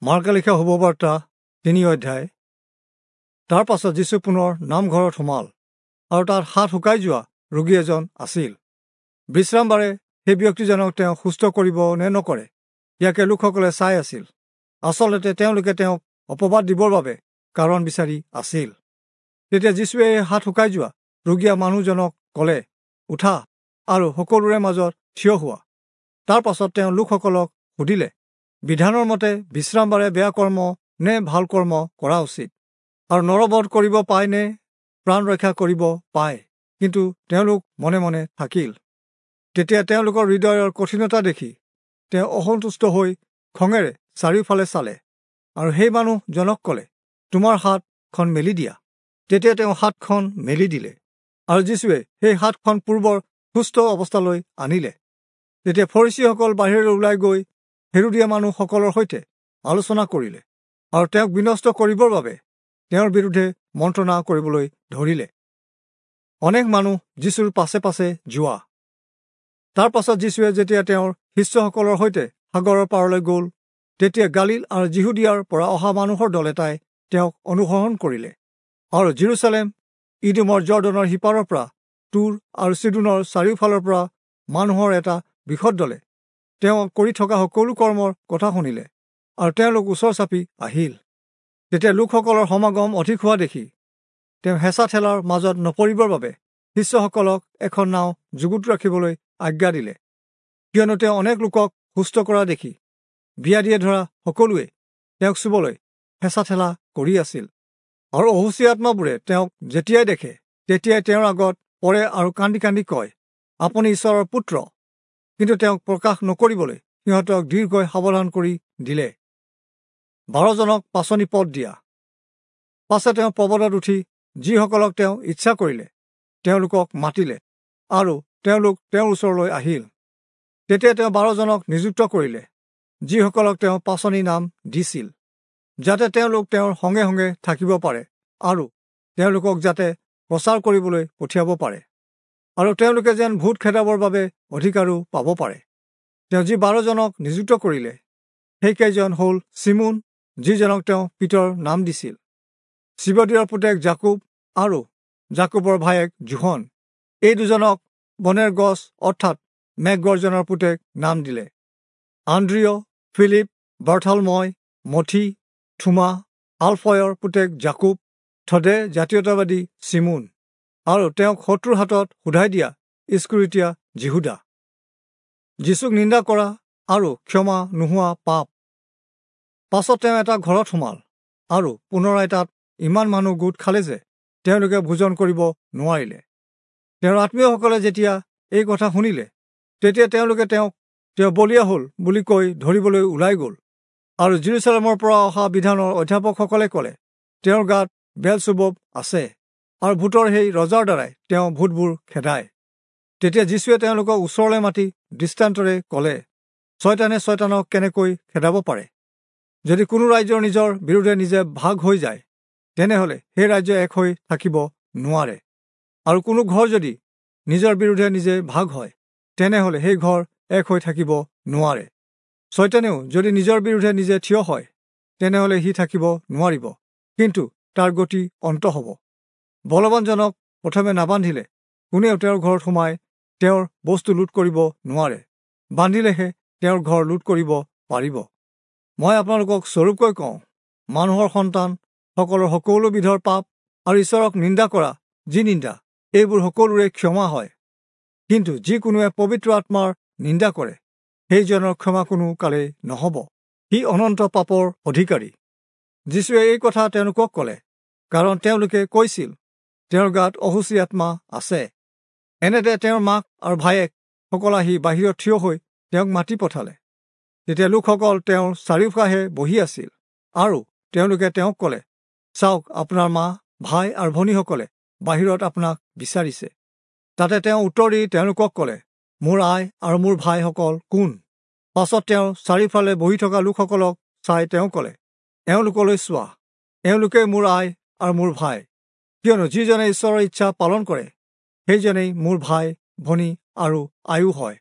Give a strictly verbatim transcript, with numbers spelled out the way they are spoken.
মাৰ্কে লিখা শুভবাৰ্তা তিনি অধ্যায়। তাৰ পাছত যীচু পুনৰ নামঘৰত সোমাল আৰু তাত হাত শুকাই যোৱা ৰোগী এজন আছিল। বিশ্ৰামবাৰে সেই ব্যক্তিজনক তেওঁ সুস্থ কৰিব নে নকৰে ইয়াকে লোকসকলে চাই আছিল। আচলতে তেওঁলোকে তেওঁক অপবাদ দিবৰ বাবে কাৰণ বিচাৰি আছিল। তেতিয়া যীচুৱে হাত শুকাই যোৱা ৰোগীয়া মানুহজনক ক'লে, উঠা আৰু সকলোৰে মাজত থিয় হোৱা। তাৰ পাছত তেওঁ লোকসকলক সুধিলে, বিধানৰ মতে বিশ্ৰামবাৰে বেয়া কৰ্ম নে ভাল কৰ্ম কৰা উচিত, আৰু নৰবধ কৰিব পায় নে প্ৰাণ ৰক্ষা কৰিব পায়? কিন্তু তেওঁলোক মনে মনে থাকিল। তেতিয়া তেওঁলোকৰ হৃদয়ৰ কঠিনতা দেখি তেওঁ অসন্তুষ্ট হৈ খঙেৰে চাৰিওফালে চালে আৰু সেই মানুহজনক ক'লে, তোমাৰ হাতখন মেলি দিয়া। তেতিয়া তেওঁ হাতখন মেলি দিলে আৰু যীচুৱে সেই হাতখন পূৰ্বৰ সুস্থ অৱস্থালৈ আনিলে। তেতিয়া ফৰীচীসকল বাহিৰলৈ ওলাই গৈ হেৰোদীয়া মানুহসকলৰ সৈতে আলোচনা কৰিলে আৰু তেওঁক বিনষ্ট কৰিবৰ বাবে তেওঁৰ বিৰুদ্ধে মন্ত্ৰণা কৰিবলৈ ধৰিলে। অনেক মানুহ যীচুৰ পাছে পাছে যোৱা। তাৰ পাছত যীচুৱে যেতিয়া তেওঁৰ শিষ্যসকলৰ সৈতে সাগৰৰ পাৰলৈ গ'ল, তেতিয়া গালিল আৰু যিহুদিয়াৰ পৰা অহা মানুহৰ দল এটাই তেওঁক অনুসৰণ কৰিলে আৰু জিৰচালেম, ইদোমৰ জৰ্দনৰ সিপাৰৰ পৰা, তুৰ আৰু চিদোনৰ চাৰিওফালৰ পৰা মানুহৰ এটা বৃহৎ দলে তেওঁ কৰি থকা সকলো কৰ্মৰ কথা শুনিলে আৰু তেওঁলোক ওচৰ চাপি আহিল। তেতিয়া লোকসকলৰ সমাগম অধিক হোৱা দেখি তেওঁ হেঁচা ঠেলাৰ মাজত নপৰিবৰ বাবে শিষ্যসকলক এখন নাও যুগুত ৰাখিবলৈ আজ্ঞা দিলে, কিয়নো তেওঁ অনেক লোকক সুস্থ কৰা দেখি ব্যাধিয়ে ধৰা সকলোৱে তেওঁক চুবলৈ হেঁচা ঠেলা কৰি আছিল। আৰু অশুচি আত্মাবোৰে তেওঁক যেতিয়াই দেখে তেতিয়াই তেওঁৰ আগত পৰে আৰু কান্দি কান্দি কয়, আপুনি ঈশ্বৰৰ পুত্ৰ। কিন্তু তেওঁক প্ৰকাশ নকৰিবলৈ সিহঁতক দীৰ্ঘই সাৱধান কৰি দিলে। বাৰজনক পাচনি পদ দিয়া। পাছে তেওঁ পৰ্বতত উঠি যিসকলক তেওঁ ইচ্ছা কৰিলে তেওঁলোকক মাতিলে আৰু তেওঁলোক তেওঁৰ ওচৰলৈ আহিল। তেতিয়া তেওঁ বাৰজনক নিযুক্ত কৰিলে, যিসকলক তেওঁ পাচনি নাম দিছিল, যাতে তেওঁলোক তেওঁৰ সঙ্গে সঙ্গে থাকিব পাৰে আৰু তেওঁলোকক যাতে প্ৰচাৰ কৰিবলৈ পঠিয়াব পাৰে আৰু তেওঁলোকে যেন ভূত খেদাবৰ বাবে অধিকাৰো পাব পাৰে। তেওঁ যি বাৰজনক নিযুক্ত কৰিলে সেইকেইজন হ'ল চিমোন, যিজনক তেওঁ পিতৰ নাম দিছিল, চিবদিয়ৰ পুতেক জাকুব আৰু জাকুবৰ ভায়েক জোহন। এই দুজনক বনেৰ গছ অৰ্থাৎ মেঘগৰ্জনৰ পুতেক নাম দিলে। আন্দ্ৰিয়, ফিলিপ, বাৰ্থলময়, মথি, থুমা, আলফয়ৰ পুতেক জাকুব, থদে জাতীয়তাবাদী চিমোন আৰু তেওঁক শত্ৰুৰ হাতত সোধাই দিয়া ইস্কৰিতীয়া যিহুদা। যীচুক নিন্দা কৰা আৰু ক্ষমা নোহোৱা পাপ। পাছত তেওঁ এটা ঘৰত সোমাল আৰু পুনৰাই তাত ইমান মানুহ গোট খালে যে তেওঁলোকে ভোজন কৰিব নোৱাৰিলে। তেওঁৰ আত্মীয়সকলে যেতিয়া এই কথা শুনিলে, তেতিয়া তেওঁলোকে তেওঁক তেওঁ বলীয়া হ'ল বুলি কৈ ধৰিবলৈ ওলাই গ'ল। আৰু জিৰচালেমৰ পৰা অহা বিধানৰ অধ্যাপকসকলে ক'লে, তেওঁৰ গাত বেলচুবব আছে আৰু ভূতৰ সেই ৰজাৰ দ্বাৰাই তেওঁ ভূতবোৰ খেদায়। তেতিয়া যীচুৱে তেওঁলোকক ওচৰলৈ মাতি দৃষ্টান্তৰে ক'লে, ছয়তানে ছয়তানক কেনেকৈ খেদাব পাৰে? যদি কোনো ৰাজ্যৰ নিজৰ বিৰুদ্ধে নিজে ভাগ হৈ যায়, তেনেহ'লে সেই ৰাজ্য এক হৈ থাকিব নোৱাৰে। আৰু কোনো ঘৰ যদি নিজৰ বিৰুদ্ধে নিজে ভাগ হয়, তেনেহ'লে সেই ঘৰ এক হৈ থাকিব নোৱাৰে। ছয়তানেও যদি নিজৰ বিৰুদ্ধে নিজে থিয় হয়, তেনেহ'লে সি থাকিব নোৱাৰিব, কিন্তু তাৰ গতি অন্ত হ'ব। বলৱানজনক প্ৰথমে নাবান্ধিলে কোনেও তেওঁৰ ঘৰত সোমাই তেওঁৰ বস্তু লুট কৰিব নোৱাৰে, বান্ধিলেহে তেওঁৰ ঘৰ লুট কৰিব পাৰিব। মই আপোনালোকক স্বৰূপকৈ কওঁ, মানুহৰ সন্তান সকলৰ সকলো বিধৰ পাপ আৰু ঈশ্বৰক নিন্দা কৰা যি নিন্দা, এইবোৰ সকলোৰে ক্ষমা হয়। কিন্তু যিকোনোৱে পবিত্ৰ আত্মাৰ নিন্দা কৰে, সেইজনৰ ক্ষমা কোনো কালেই নহ'ব, সি অনন্ত পাপৰ অধিকাৰী। যীচুৱে এই কথা তেওঁলোকক ক'লে, কাৰণ তেওঁলোকে কৈছিল, তেওঁৰ গাত অশুচি আত্মা আছে। এনেতে তেওঁৰ মাক আৰু ভায়েক সকল আহি বাহিৰত থিয় হৈ তেওঁক মাতি পঠালে। তেতিয়া লোকসকল তেওঁৰ চাৰিওকাষে বহি আছিল আৰু তেওঁলোকে তেওঁক ক'লে, চাওক, আপোনাৰ মা, ভাই আৰু ভনীসকলে বাহিৰত আপোনাক বিচাৰিছে। তাতে তেওঁ উত্তৰ দি তেওঁলোকক ক'লে, মোৰ আই আৰু মোৰ ভাইসকল কোন? পাছত তেওঁ চাৰিওফালে বহি থকা লোকসকলক চাই তেওঁ ক'লে, এওঁলোকলৈ চোৱা, এওঁলোকেই মোৰ আই আৰু মোৰ ভাই। কিয়নো যিজনে ঈশ্বৰৰ ইচ্ছা পালন কৰে, সেইজনেই মোৰ ভাই, ভনী আৰু আয়ো হয়।